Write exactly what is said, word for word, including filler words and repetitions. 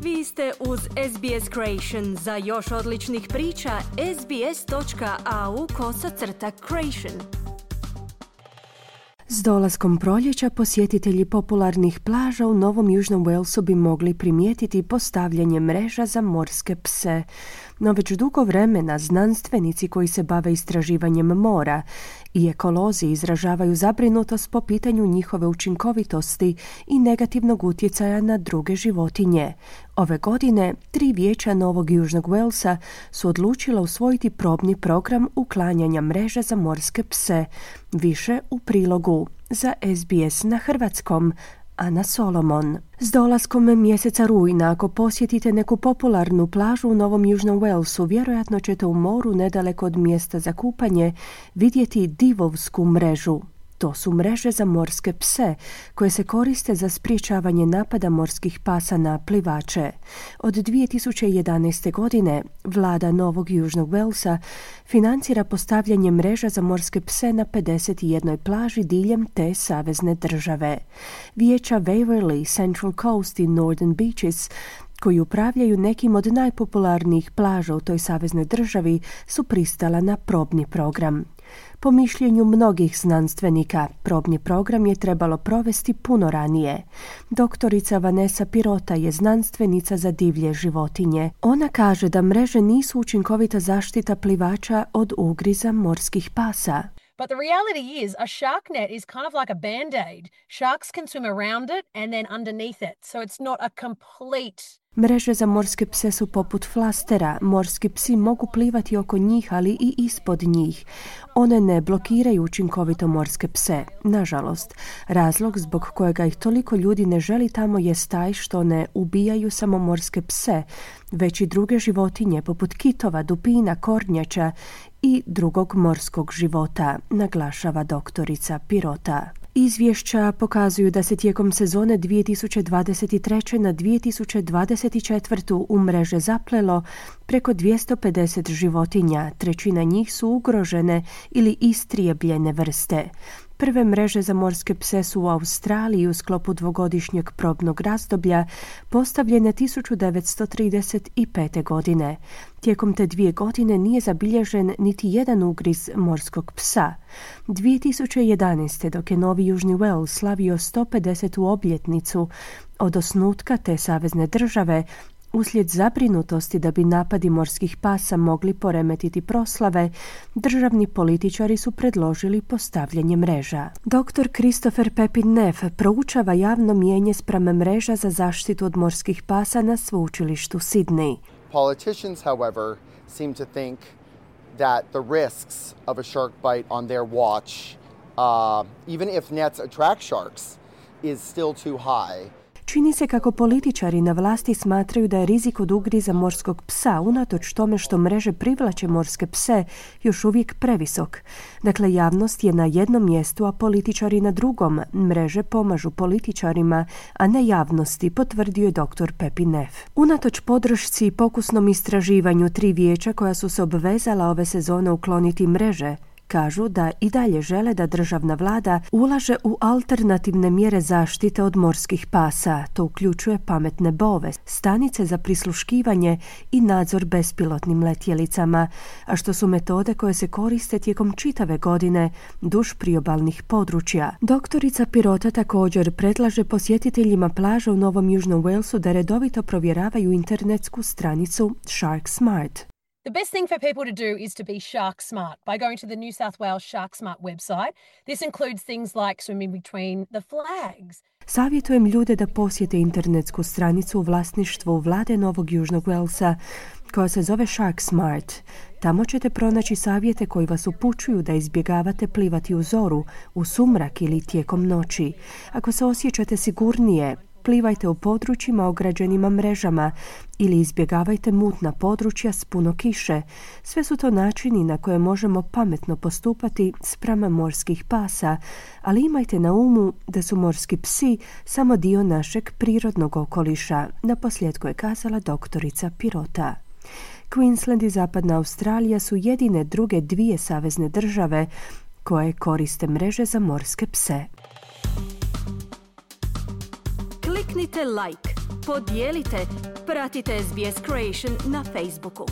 Vi ste uz S B S Creation. Za još odličnih priča, sbs.au kosacrta creation. S dolaskom proljeća posjetitelji popularnih plaža u Novom Južnom Walesu bi mogli primijetiti postavljanje mreža za morske pse. No već dugo vremena znanstvenici koji se bave istraživanjem mora i ekolozi izražavaju zabrinutost po pitanju njihove učinkovitosti i negativnog utjecaja na druge životinje. Ove godine tri vijeća Novog Južnog Walesa su odlučila usvojiti probni program uklanjanja mreža za morske pse. Više u prilogu za S B S na hrvatskom. Ana Solomon. S dolaskom mjeseca rujna, ako posjetite neku popularnu plažu u Novom Južnom Walesu, vjerojatno ćete u moru nedaleko od mjesta za kupanje vidjeti divovsku mrežu. To su mreže za morske pse koje se koriste za sprječavanje napada morskih pasa na plivače. Od dvije tisuće jedanaeste. godine vlada Novog Južnog Walesa financira postavljanje mreža za morske pse na pedeset jednoj plaži diljem te savezne države. Vijeća Waverly, Central Coast i Northern Beaches, koji upravljaju nekim od najpopularnijih plaža u toj saveznoj državi, su pristala na probni program. Po mišljenju mnogih znanstvenika, probni program je trebalo provesti puno ranije. Doktorica Vanessa Pirota je znanstvenica za divlje životinje. Ona kaže da mreže nisu učinkovita zaštita plivača od ugriza morskih pasa. But the reality is, a shark net is kind of like a band-aid. Sharks can swim around it and then underneath it, so it's not a complete... Mreže za morske pse su poput flastera. Morski psi mogu plivati oko njih, ali i ispod njih. One ne blokiraju učinkovito morske pse. Nažalost, razlog zbog kojega ih toliko ljudi ne želi tamo je taj što ne ubijaju samo morske pse, već i druge životinje poput kitova, dupina, kornjača i drugog morskog života, naglašava doktorica Pirota. Izvješća pokazuju da se tijekom sezone dvije tisuće dvadeset treće. na dvije tisuće dvadeset četvrte. u mreže zaplelo preko dvjesto pedeset životinja, trećina njih su ugrožene ili istrijebljene vrste. Prve mreže za morske pse su u Australiji u sklopu dvogodišnjeg probnog razdoblja postavljene tisuću devetsto trideset pete. godine. Tijekom te dvije godine nije zabilježen niti jedan ugriz morskog psa. dvije tisuće jedanaeste. dok je Novi Južni Wales slavio sto pedesetu obljetnicu od osnutka te savezne države, uslijed zabrinutosti da bi napadi morskih pasa mogli poremetiti proslave, državni političari su predložili postavljanje mreža. doktor Christopher Pepin-Neff proučava javno mijenje spram mreža za zaštitu od morskih pasa na sveučilištu Sydney. Politicians, however, seem to think that the risks of a shark bite on their watch, uh, even if nets attract sharks, is still too high. Čini se kako političari na vlasti smatraju da je rizik od ugriza morskog psa, unatoč tome što mreže privlače morske pse, još uvijek previsok. Dakle, javnost je na jednom mjestu, a političari na drugom. Mreže pomažu političarima, a ne javnosti, potvrdio je doktor Pepin-Neff. Unatoč podršci i pokusnom istraživanju tri vijeća koja su se obvezala ove sezone ukloniti mreže, kažu da i dalje žele da državna vlada ulaže u alternativne mjere zaštite od morskih pasa. To uključuje pametne bove, stanice za prisluškivanje i nadzor bespilotnim letjelicama, a što su metode koje se koriste tijekom čitave godine duž priobalnih područja. Doktorica Pirota također predlaže posjetiteljima plaža u Novom Južnom Walesu da redovito provjeravaju internetsku stranicu Shark Smart. The best thing for people to do is to be shark smart by going to the New South Wales Shark Smart website. This includes things like swimming between the flags. Savjetujem ljude da posjete internetsku stranicu u vlasništvu vlade Novog Južnog Walesa koja se zove Shark Smart. Tamo ćete pronaći savjete koji vas upućuju da izbjegavate plivati u zoru, u sumrak ili tijekom noći. Ako se osjećate sigurnije, plivajte u područjima ograđenima mrežama ili izbjegavajte mutna područja s puno kiše. Sve su to načini na koje možemo pametno postupati spram morskih pasa, ali imajte na umu da su morski psi samo dio našeg prirodnog okoliša, naposljetku je kazala doktorica Pirota. Queensland i Zapadna Australija su jedine druge dvije savezne države koje koriste mreže za morske pse. Kliknite like, podijelite, pratite S B S Creation na Facebooku.